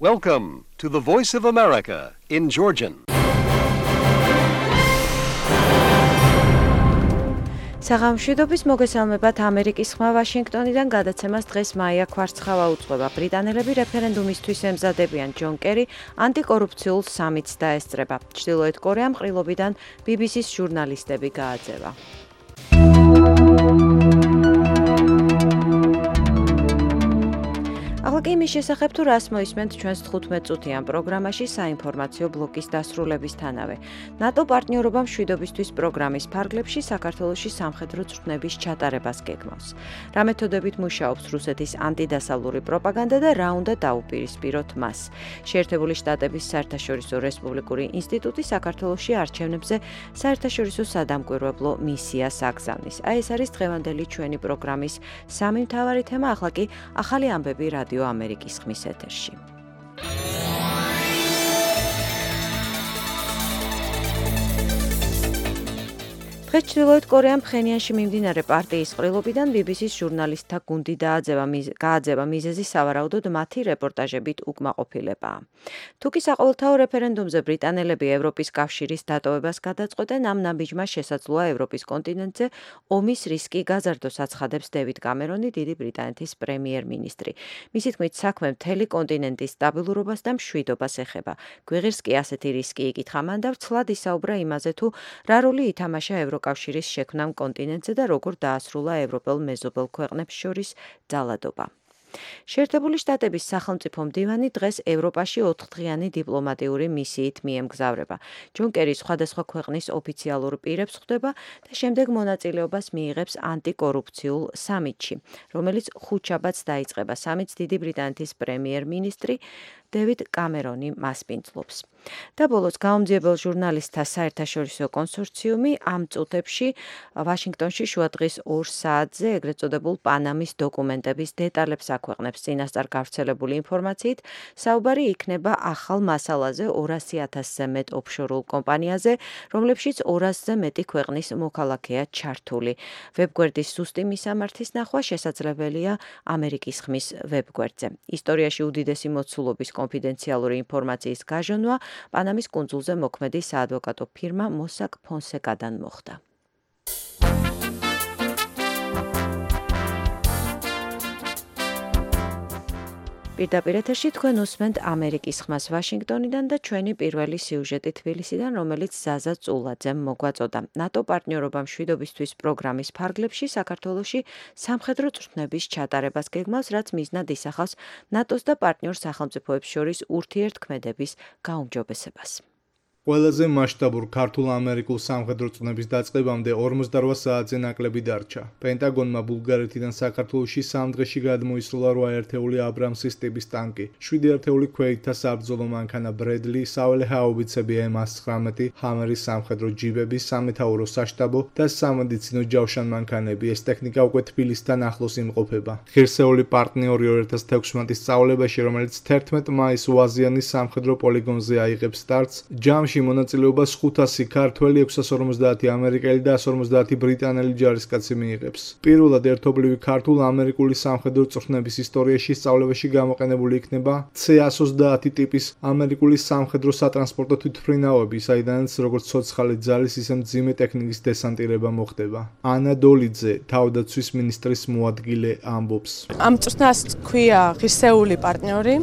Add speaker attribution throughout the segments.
Speaker 1: Welcome to the Voice of America in Georgian.
Speaker 2: საღამშვიდობის მოგესალმებათ ამერიკის ხმა ვაშინგტონიდან გადაცემას დღეს მაია კვარცხავა უძღვება. ბრიტანელები რეფერენდუმისთვის ემზადებიან. ჯონ კერი ანტიკორუფციულ სამიტს დაესწრება. ჩრდილოეთ კორეამ ყრილობიდან BBC-ს ჟურნალისტები გააძევა. ახლა კი იმის შესახებ თუ რას მოისმენთ ჩვენს 15 წუთიან პროგრამაში საინფორმაციო ბლოკის დასრულებისთანავე. ნატო პარტნიორობა მშვიდობისთვის პროგრამის ფარგლებში საქართველოში სამხედრო წვრთნების ჩატარებას გეგმავს. რა მეთოდებით მუშაობს რუსეთის ანტიდასავლური პროპაგანდა და რა უნდა დაუპირისპიროთ მას. შეერთებული შტატების საერთაშორისო რესპუბლიკური ინსტიტუტი საქართველოში არჩევნებზე საერთაშორისო სადამკვირვებლო მისიას აგზავნის. ეს არის დღევანდელი ჩვენი პროგრამის სამი მთავარი თემა, ახლა კი ახალი ამბები რადიო ამერიკის ხმის ეთერში. დღეს ჩრდილოეთ კორეამ ფხენიანში მიმდინარე პარტიის ყრილობიდან BBC-ს ჟურნალისტთა გუნდი გააძევა მიზეზი სავარაუდოდ მათი რეპორტაჟებით უკმაყოფილებაა. თუკი საყოველთაო რეფერენდუმზე ბრიტანელები ევროპის კავშირის დატოვებას გადაწყვეტენ, ამ ნაბიჯმა შესაძლოა ევროპის კონტინენტზე ომის რისკი გაზარდოს აცხადებს დევიდ კამერონი, დიდი ბრიტანეთის პრემიერ-მინისტრი. მისი თქმით, საქმე მთელი კონტინენტის სტაბილურობას და მშვიდობას ეხება. გვიღირს კი ასეთი რისკი იკითხა მან და ვრცლად ისაუბრა იმაზე, თუ რა როლი ითამაშა ევროკავშირის შექმნამ კონტინენტზე და როგორ დაასრულა ევროპელ მეზობელ ქვეყნებს შორის ძალადობა. შეერთებული შტატების სახელმწიფო მდივანი დღეს ევროპაში 4-დღიანი დიპლომატიური მისიით მიემგზავრება. ჯონ კერი სხვადასხვა ქვეყნის ოფიციალურ პირებს ხვდება და შემდეგ მონაწილეობას მიიღებს ანტიკორუფციულ სამიტში, რომელიც ხუთშაბათს დაიწყება. სამიტს დიდი ბრიტანეთის პრემიერ-მინისტრი დევიდ კამერონი მასპინძლობს. და ბოლოს გაუმძიებელ ჟურნალისტთა საერთაშორისო კონსორციუმი ამ წუთებში ვაშინგტონში შუადღის 2 საათზე ეგრეთ წოდებულ პანამის დოკუმენტების დეტალებს აქვეყნებს. წინასწარ გავრცელებული ინფორმაციით, საუბარი იქნება ახალ მასალაზე 200,000-ზე მეტ ოფშორულ კომპანიაზე, რომლებშიც 200-ზე მეტი ქვეყნის მოქალაქეა ჩართული. ვებგვერდის ზუსტი მისამართის ნახვა შესაძლებელია ამერიკის ხმის ვებგვერდზე. ისტორიაში უდიდესი მოცულობის კონფიდენციალური ინფორმაციის გაჟონვა პანამის კუნძულზე მოქმედი საადვოკატო ფირმა მოსაკ ფონსეკადან მოხდა. პირდაპირ ეთერში თქვენ უსმენთ ამერიკის ხმას ვაშინგტონიდან და ჩვენი პირველი სიუჟეტი თბილისიდან, რომელიც ზაზა წულაძემ მოგვაწოდა. ნატო პარტნიორობა მშვიდობისთვის პროგრამის ფარგლებში საქართველოში სამხედრო წვრთნების ჩატარებას გეგმავს, რაც მიზნად ისახავს ნატოს და პარტნიორ სახელმწიფოებს შორის ურთიერთქმედების გაუმჯობესებას.
Speaker 3: ყველაზე მასშტაბურ ქართულ-ამერიკულ სამხედრო წვრთნების დაწყებამდე 48 საათზე ნაკლები დარჩა. პენტაგონმა ბულგარეთიდან საქართველოში 3 დღეში გადმოისროლა 8 ერთეული აბრამსის ტიპის ტანკი, 7 ერთეული ქვეითთა საბრძოლო მანქანა ბრედლი, საველე ჰაუბიცები M119, ჰამერის სამხედრო ჯიბები, სამეთაურო საშტაბო და სამედიცინო ჯავშან მანქანები. ეს ტექნიკა უკვე თბილისთან ახლოს იმყოფება. ღირსეული პარტნიორი 2016 სწავლებაში, რომელიც 11 მაისს უაზიანის სამხედრო პოლიგონზე აიღებს სტარტს, ჯამში მონაწილეობას 500 ქართველი, 650 ამერიკელი და 150 ბრიტანელი ჯარისკაცი მიიღებს. პირველად ერთობლივი ქართულ-ამერიკული სამხედრო წვრთნების ისტორიაში სწავლებაში გამოყენებული იქნება C-130 ტიპის ამერიკული სამხედრო სატრანსპორტო თვითმფრინავები, საიდანაც როგორც ცოცხალი ძალის, ისე მძიმე ტექნიკის დესანტირება მოხდება. ანა დოლიძე, თავდაცვის მინისტრის მოადგილე, ამბობს.
Speaker 4: ამ წვრთნას ქვია ღირსეული პარტნიორი,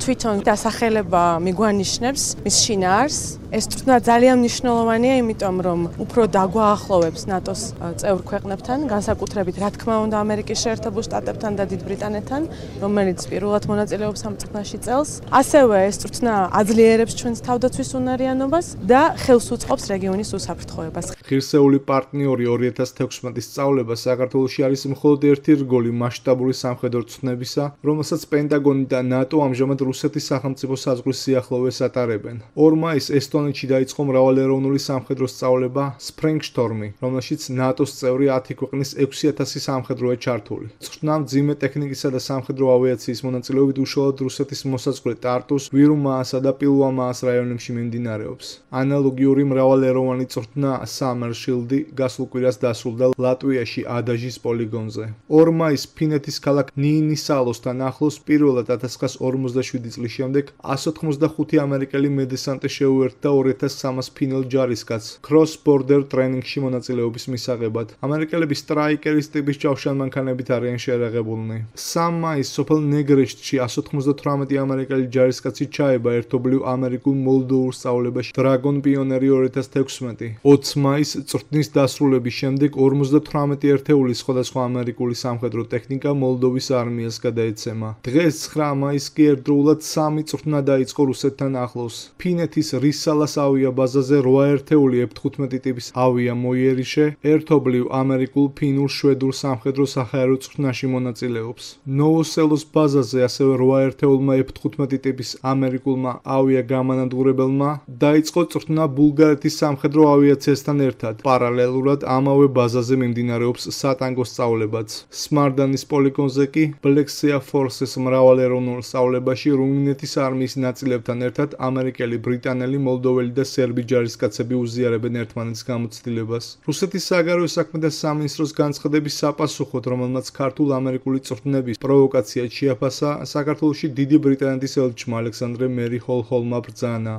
Speaker 4: თვითონ დასახელება მიგვანიშნებს მის შინაარსს. ეს წვრთნა ძალიან მნიშვნელოვანია, იმიტომ რომ უფრო დაგვაახლოვებს ნატოს წევრ ქვეყნებთან, განსაკუთრებით რა თქმა უნდა ამერიკის შეერთებულ შტატებთან და დიდ ბრიტანეთთან, რომელიც პირველად მონაწილეობს ამ წვრთნაში წელს. ასევე ეს წვრთნა აძლიერებს ჩვენს თავდაცვის უნარიანობას და ხელს უწყობს რეგიონის უსაფრთხოებას.
Speaker 3: ღირსეული პარტნიორი 2016 სწავლება საქართველოში არის მხოლოდ ერთი რგოლი მასშტაბური სამხედრო წვრთნებისა, რომელსაც პენტაგონი და ნატო ამჟამად რუსეთის სახელმწიფო საზღვრის სიახლოვეს ატარებენ. 2 მაისს ესტონეთში დაიწყო მრავალეროვნული სამხედრო სწავლება Springshtorm-ი, რომელშიც ნატოს წევრი 10 ქვეყნის 6000 სამხედროა ჩართული. წვრთნა მძიმე ტექნიკისა და სამხედრო ავიაციის მონაწილეობით უშუალოდ რუსეთის მოსაზღვრე ტარტუს, ვირუმაასა და პილუამაას რაიონებში მიმდინარეობს. ანალოგიური მრავალეროვანი წვრთნა Summer Shield-ი გასულ კვირას დასრულდა ლატვიაში ადაჟის პოლიგონზე. 2 მაისს ფინეთის ქალაქ ნიინისალოსთან ახლოს პირველად 1947 წლის შემდეგ 185 ამერიკელი მედესანტე შეუერთდა 2300 ფინელ ჯარისკაცს Cross Border Training-ში მონაწილეობის მისაღებად. ამერიკელები სტრაიკერის ტიპის ჯავშანმანქანებით არიან შეერაღებულნი. 3 მაისს სოფელ ნეგრეშტში 198 ამერიკელი ჯარისკაცი ჩაება ერთობლივ ამერიკულ მოლდოურ სწავლებაში Dragon Pioneer 2016. 20 მაისს წვრთნის დასრულების შემდეგ 58 ერთეული სხვადასხვა ამერიკული სამხედრო ტექნიკა მოლდოვის არმიას გადაეცემა. დღეს 9 მაისს კი ერთდროულად 3 წვრთნა დაიწყო რუსეთთან ახლოს. ფინეთის რისალას ავიაბაზაზე 8 ერთეული F-15 ტიპის ავია მოიერიშე ერთობლივ ამერიკულ ფინურ შვედურ სამხედრო საჰაერო წვრთნაში მონაწილეობს. ნოვოსელოს ბაზაზე ასევე 8 ერთეულმა F-15 ტიპის ამერიკულმა ავია გამანადგურებელმა დაიწყო წვრთნა ბულგარეთის სამხედრო ავიაციასთან ერთად. პარალელურად ამავე ბაზაზე მიმდინარეობს სატანგო სწავლებაც. სმარდანის პოლიგონზე კი Black Sea Forces მრავალეროვნულ სწავლებაში რუმინეთის არმიის ნაწილებთან ერთად ამერიკელი, ბრიტანელი, მოლდოველი და სერბი ჯარისკაცები უზიარებენ ერთმანეთის გამოცდილებას. რუსეთის საგარეო საქმეთა სამინისტროს განცხადების საპასუხოდ, რომელმაც ქართულ-ამერიკული წვრთნების პროვოკაცია შეაფასა, საქართველოში დიდი ბრიტანეთის ელჩმა ალექსანდრე მერი ჰოლჰოლმა ბრძანა.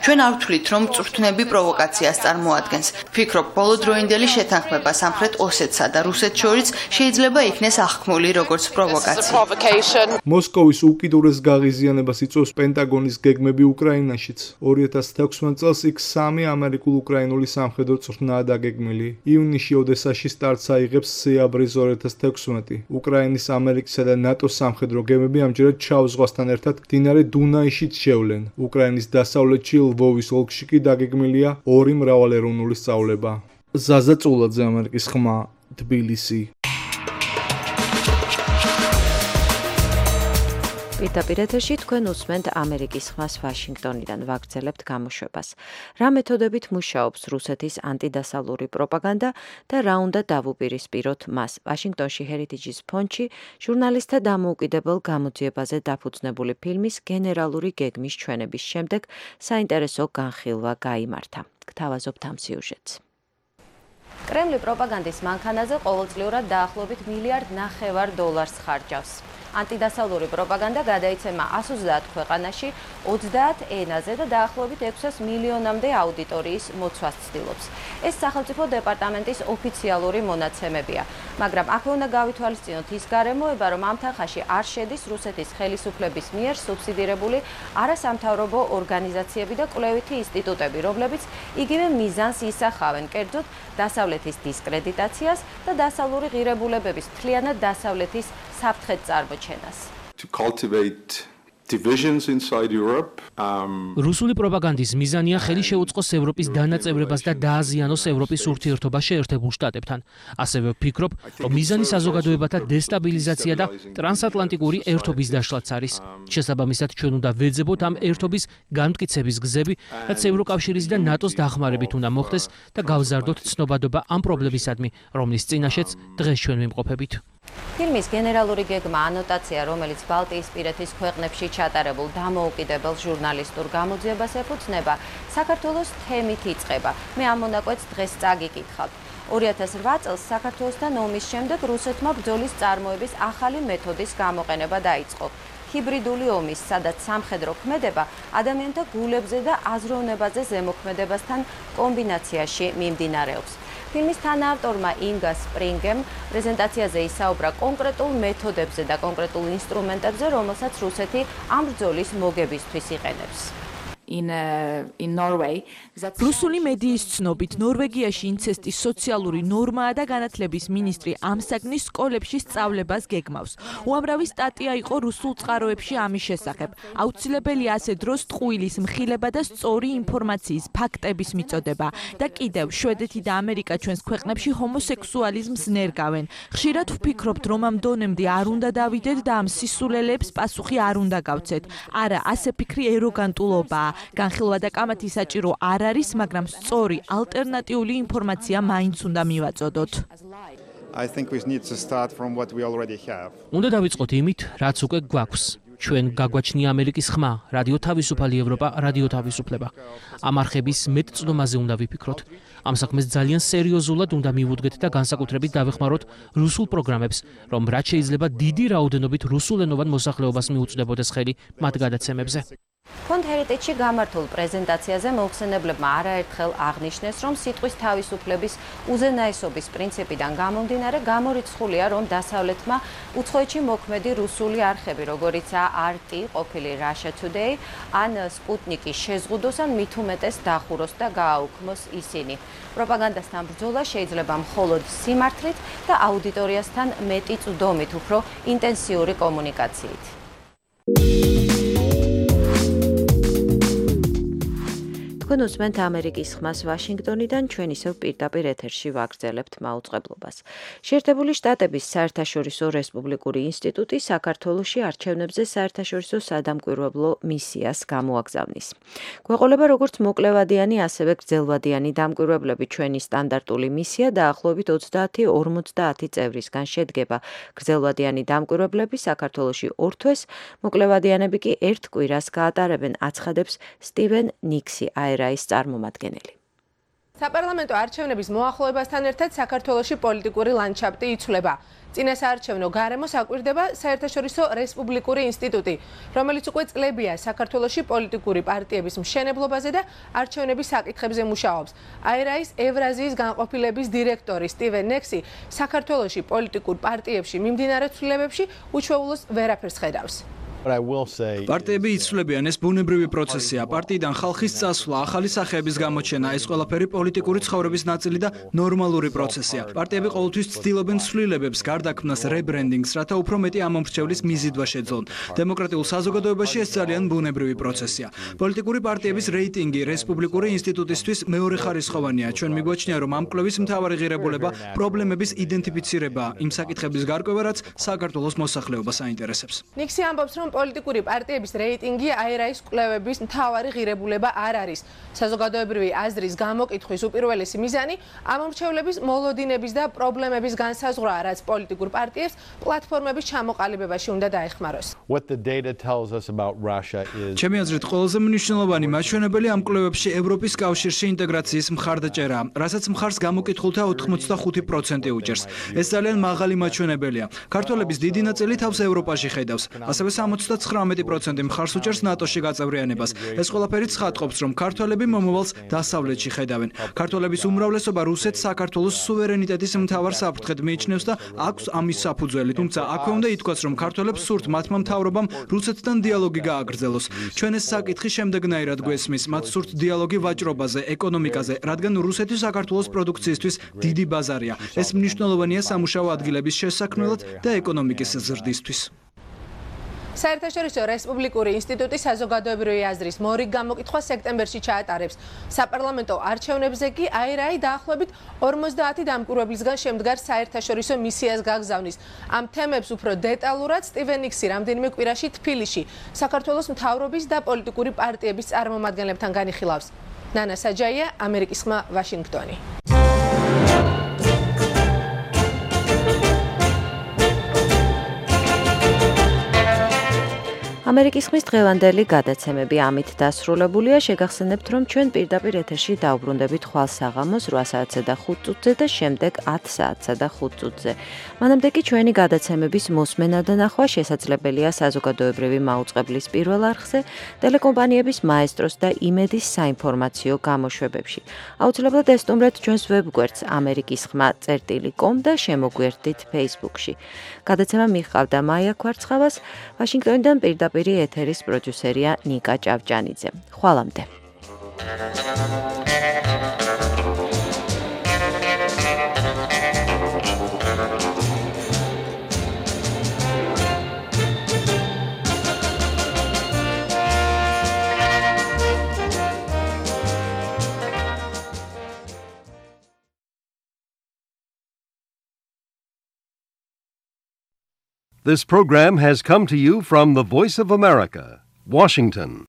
Speaker 5: ჩვენ არ ვთვლით, რომ წვრთნები პროვოკაციას წარმოადგენს. ვფიქრობ, ბოლოდროინდელი შეთანხმება სამხრეთ ოსეთსა და რუსეთს შორის შეიძლება იქნეს აღქმული როგორც პროვოკაცია.
Speaker 3: მოსკოვის უკიდურეს გაღიზიანებას იწვევს პენტაგონის გეგმები უკრაინაშიც. 2016 წელს იქ 3 ამერიკულ-უკრაინული სამხედრო წვრთნაა დაგეგმილი. ივნისში ოდესაში სტარტს აიღებს სეაბრის 2016. უკრაინის, ამერიკისა და ნატოს სამხედრო გემები ამჯერად შავ ზღვასთან ერთად მდინარე დუნაიშიც შევლენ. უკრაინის დასავლეთში ლვოვის ოლქში კი დაგეგმილია 2 მრავალეროვნული სწავლება. ზაზა წულაძე, ამერიკის ხმა, თბილისი.
Speaker 2: პირდაპირ ეთერში თქვენ უსმენთ ამერიკის ხმას ვაშინგტონიდან, ვაგრძელებთ გამოშვებას. რა მეთოდებით მუშაობს რუსეთის ანტიდასავლური პროპაგანდა და რა უნდა დავუპირისპიროთ მას? ვაშინგტონში ჰერიტიჯის ფონდში ჟურნალისტთა დამოუკიდებელ გამოძიებაზე დაფუძნებული ფილმის გენერალური გეგმის ჩვენების შემდეგ საინტერესო განხილვა გაიმართა. გთავაზობთ ამ სიუჟეტს. კრემლი პროპაგანდის მანქანაზე ყოველწლიურად დაახლოებით $1.5 მილიარდ ხარჯავს. ანტიდასავლური პროპაგანდა გადაიცემა 130 ქვეყანაში 30 ენაზე და დაახლოებით 600 მილიონამდე აუდიტორიის მოცვას ცდილობს. ეს სახელმწიფო დეპარტამენტის ოფიციალური მონაცემებია, მაგრამ აქვე უნდა გავითვალისწინოთ ის გარემოება, რომ ამ თანხაში არ შედის რუსეთის ხელისუფლების მიერ სუბსიდირებული არასამთავრობო ორგანიზაციები და კვლევითი ინსტიტუტები, რომლებიც იგივე მიზანს ისახავენ, კერძოდ დასავლეთის დისკრედიტაციას და დასავლური ღირებულებების მთლიანად დასავლეთის საფრთხეთ წარმოჩენას.
Speaker 6: To cultivate divisions inside Europe.
Speaker 7: რუსული პროპაგანდის მიზანია ხელი შეუწყოს ევროპის დანაწევრებას და დააზიანოს ევროპის ურთიერთობა შეერთებულ შტატებთან. ასევე ვფიქრობ, რომ მიზანი საზოგადოებათა დესტაბილიზაცია და ტრანსატლანტიკური ერთობის დაშლაც არის. შესაბამისად, ჩვენ უნდა ვეძებოთ ამ ერთობის განმტკიცების გზები, რაც ევროკავშირის და ნატოს დახმარებით უნდა მოხდეს და გავზარდოთ ცნობადობა ამ პრობლემისადმი, რომლის წინაშეც დღეს ჩვენ ვიმყოფებით.
Speaker 2: ფილმის გენერალური გეგმა ანოტაცია, რომელიც ბალტიისპირეთის ქვეყნებში ჩატარებულ დამოუკიდებელ ჟურნალისტურ გამოძიებას ეფუძნება, საქართველოს თემით იწყება. მე ამ მონაკვეთს დღეს წაგიკითხავთ. 2008 წელს საქართველოსთან ომის შემდეგ რუსეთმა ბრძოლის წარმოების ახალი მეთოდის გამოყენება დაიწყო. ჰიბრიდული ომის, სადაც სამხედრო ქმედება ადამიანთა გულებზე და აზროვნებაზე ზემოქმედებასთან კომბინაციაში მიმდინარეობს. ფილმის თანაავტორმა ინგა სპრინგემ პრეზენტაციაზე ისაუბრა კონკრეტულ მეთოდებზე და კონკრეტულ ინსტრუმენტებზე, რომელსაც რუსეთი ამ ბრძოლის მოგებისთვის იყენებს.
Speaker 8: რუსული მედიის ცნობით, ნორვეგიაში ინცესტის სოციალური ნორმაა და განათლების მინისტრი ამ საგნის სკოლებში სწავლებას გეგმავს. უამრავი სტატია იყო რუსულ წყაროებში ამის შესახებ. აუცილებელია ასე დროს ტყუილის მხილება და სწორი ინფორმაციის ფაქტების მიწოდება. და კიდევ, შვედეთი და ამერიკა ჩვენს ქვეყნებში ჰომოსექსუალიზმს ნერგავენ. ხშირად ვფიქრობთ, რომ ამ დონემდე არ უნდა დავიდეთ და ამ სისულელებს პასუხი არ უნდა გავცეთ. არა, ასე ფიქრი ეროგანტულობაა. განხილვა და კამათი საჭირო არ არის, მაგრამ სწორი ალტერნატიული ინფორმაცია მაინც უნდა მივაწოდოთ.
Speaker 9: I think we need to start from what we already have.
Speaker 7: უნდა დავიწყოთ იმით, რაც უკვე გვაქვს. ჩვენ გაგვაჩნია ამერიკის ხმა, რადიო თავისუფალი ევროპა, რადიო თავისუფლება. ამ არხების მეტწნომაზე უნდა ვიფიქროთ. ამ საქმეს ძალიან სერიოზულად უნდა მივუდგეთ და განსაკუთრებით დავეხმაროთ რუსულ პროგრამებს, რომ რაც შეიძლება დიდი რაოდენობით რუსულენოვან მოსახლეობას მიუწვდებოდეს ხელი მათ გადაცემებზე.
Speaker 2: Fond Heritage-ში გამართულ პრეზენტაციაზე მოხსენებლებმა არაერთხელ აღნიშნეს, რომ სიტყვის თავისუფლების უზენაესობის პრინციპიდან გამომდინარე გამორიცხულია, რომ დასავლეთმა უცხოეთში მოქმედი რუსული არხები, როგორიცაა RT, ყოფილი Russia Today, ან Sputnik-ი შეზღუდოს ან მით უმეტეს დახუროს და გააუქმოს ისინი. პროპაგანდასთან ბრძოლა შეიძლება მხოლოდ სიმართლით და აუდიტორიასთან მეტი წვდომით, უფრო ინტენსიური კომუნიკაციით. თქვენ უსმენთ ამერიკის ხმას ვაშინგტონიდან, ჩვენ ისევ პირდაპირ ეთერში ვაგრძელებთ მაუწყებლობას. შეერთებული შტატების საერთაშორისო რესპუბლიკური ინსტიტუტი საქართველოში არჩევნებზე საერთაშორისო სადამკვირვებლო მისიას გამოაგზავნის. გვეყოლება როგორც მოკლევადიანი, ასევე გრძელვადიანი დამკვირვებლები. ჩვენი სტანდარტული მისია დაახლოებით 30-50 წევრისგან შედგება. გრძელვადიანი დამკვირვებლები საქართველოში 2 თვეს, მოკლევადიანები კი 1 კვირას გაატარებენ, აცხადებს სტივენ ნიქსი, აერაის წარმომადგენელი.
Speaker 10: საპარლამენტო არჩევნების მოახლოებასთან ერთად საქართველოში პოლიტიკური ლანდშაფტი იცვლება. წინასაარჩევნო გარემოს აკვირდება საერთაშორისო რესპუბლიკური ინსტიტუტი, რომელიც უკვე წლებია საქართველოში პოლიტიკური პარტიების მშენებლობაზე და არჩევნების საკითხებზე მუშაობს. აერაის ევრაზიის განყოფილების დირექტორი სტივენ ნიქსი საქართველოში პოლიტიკურ პარტიებში მიმდინარე ცვლილებებში უჩვეულოს ვერაფერს ხედავს.
Speaker 11: პარტიები იცვლებიან, ეს ბუნებრივი პროცესია. პარტიიდან ხალხის წასვლა, ახალი სახეების გამოჩენა, ეს ყველაფერი პოლიტიკური ცხოვრების ნაწილი და ნორმალური პროცესია. პარტიები ყოველთვის ცდილობენ ცვლილებებს, გარდაქმნას, რებრენდინგს, რათა უფრო მეტი ამომრჩევლის მიზიდვა შეძლონ. დემოკრატიულ საზოგადოებაში ეს ძალიან ბუნებრივი პროცესია. პოლიტიკური პარტიების რეიტინგი რესპუბლიკური ინსტიტუტისთვის მეორეხარისხოვანია. ჩვენ მიგვაჩნია, რომ ამ კვლევის მთავარი ღირებულება პრობლემების იდენტიფიცირება, იმ საკითხების გარკვევა, რაც საქართველოს მოსახლეობას აინტერესებს.
Speaker 10: ნიქსი ამბობს, რომ პოლიტიკური პარტიების რეიტინგი აერაის კვლევების მთავარი ღირებულება არ არის. საზოგადოებრივი აზრის გამოკითხვის უპირველესი მიზანი ამომრჩევლების მოლოდინების და პრობლემების განსაზღვრაა, რაც პოლიტიკურ პარტიებს პლატფორმების ჩამოყალიბებაში უნდა დაეხმაროს.
Speaker 11: ჩემი აზრით, ყველაზე მნიშვნელოვანი მაჩვენებელი ამ კვლევებში ევროპის კავშირში ინტეგრაციის მხარდაჭერა, რასაც მხარს გამოკითხულთა 85% უჭერს. ეს ძალიან მაღალი მაჩვენებელია. ქართველების დიდი ნაწილი თავს ევროპაში ხედავს, ასევე 79% მხარს უჭერს ნატოში გაწევრიანებას. ეს ყველაფერი ცხადყოფს, რომ ქართველები მომავალს დასავლეთში ხედავენ. ქართველების უმრავლესობა რუსეთს საქართველოს სუვერენიტეტის მთავარ საფრთხედ მიიჩნევს და აქვს ამის საფუძველი. თუმცა აქვე უნდა ითქვას, რომ ქართველებს სურთ მათმა მთავრობამ რუსეთთან დიალოგი გააგრძელოს. ჩვენ ეს საკითხი შემდეგნაირად გვესმის, მათ სურთ დიალოგი ვაჭრობაზე, ეკონომიკაზე, რადგან რუსეთი საქართველოს პროდუქციისთვის დიდი ბაზარია. ეს მნიშვნელოვანია სამუშაო ადგილების შესაქმნელად და ეკონომიკის ზრდისთვის.
Speaker 10: საერთაშორისო რესპუბლიკური ინსტიტუტი საზოგადოებრივი აზრის მორიგ გამოკითხვას სექტემბერში ჩაატარებს. საპარლამენტო არჩევნებზე კი აერაი დაახლოებით 50 დამკვირვებლისგან შემდგარ საერთაშორისო მისიას გაგზავნის. ამ თემებს უფრო დეტალურად სტივენ ნიქსი რამდენიმე კვირაში თბილისში საქართველოს მთავრობის და პოლიტიკური პარტიების წარმომადგენლებთან განიხილავს. ნანა საჯაია, ამერიკის ხმა, ვაშინგტონი.
Speaker 2: ამერიკის ხმის დღევანდელი გადაცემები ამით დასრულებულია. შეგახსენებთ, რომ ჩვენ პირდაპირ ეთერში დაუბრუნდებით ხვალ საღამოს 8 საათსა და 5 წუთზე და შემდეგ 10 საათსა და 5 წუთზე. მანამდე კი ჩვენი გადაცემების მოსმენა და ნახვა შესაძლებელია საზოგადოებრივი მაუწყებლის პირველ არხზე, ტელეკომპანიების მაესტროს და იმედის საინფორმაციო გამოშვებებში. აუცილებლად ესტუმრეთ ჩვენს ვებგვერდს amerikiskhma.com და შემოგვიერთდით Facebook-ში. გადაცემა მიჰყავდა მაია ქვარცხავას, ვაშინგტონიდან პირდაპირ ეთერის პროდიუსერია ნიკა ჭავჭანიძე. ხვალამდე.
Speaker 1: This program has come to you from the Voice of America, Washington.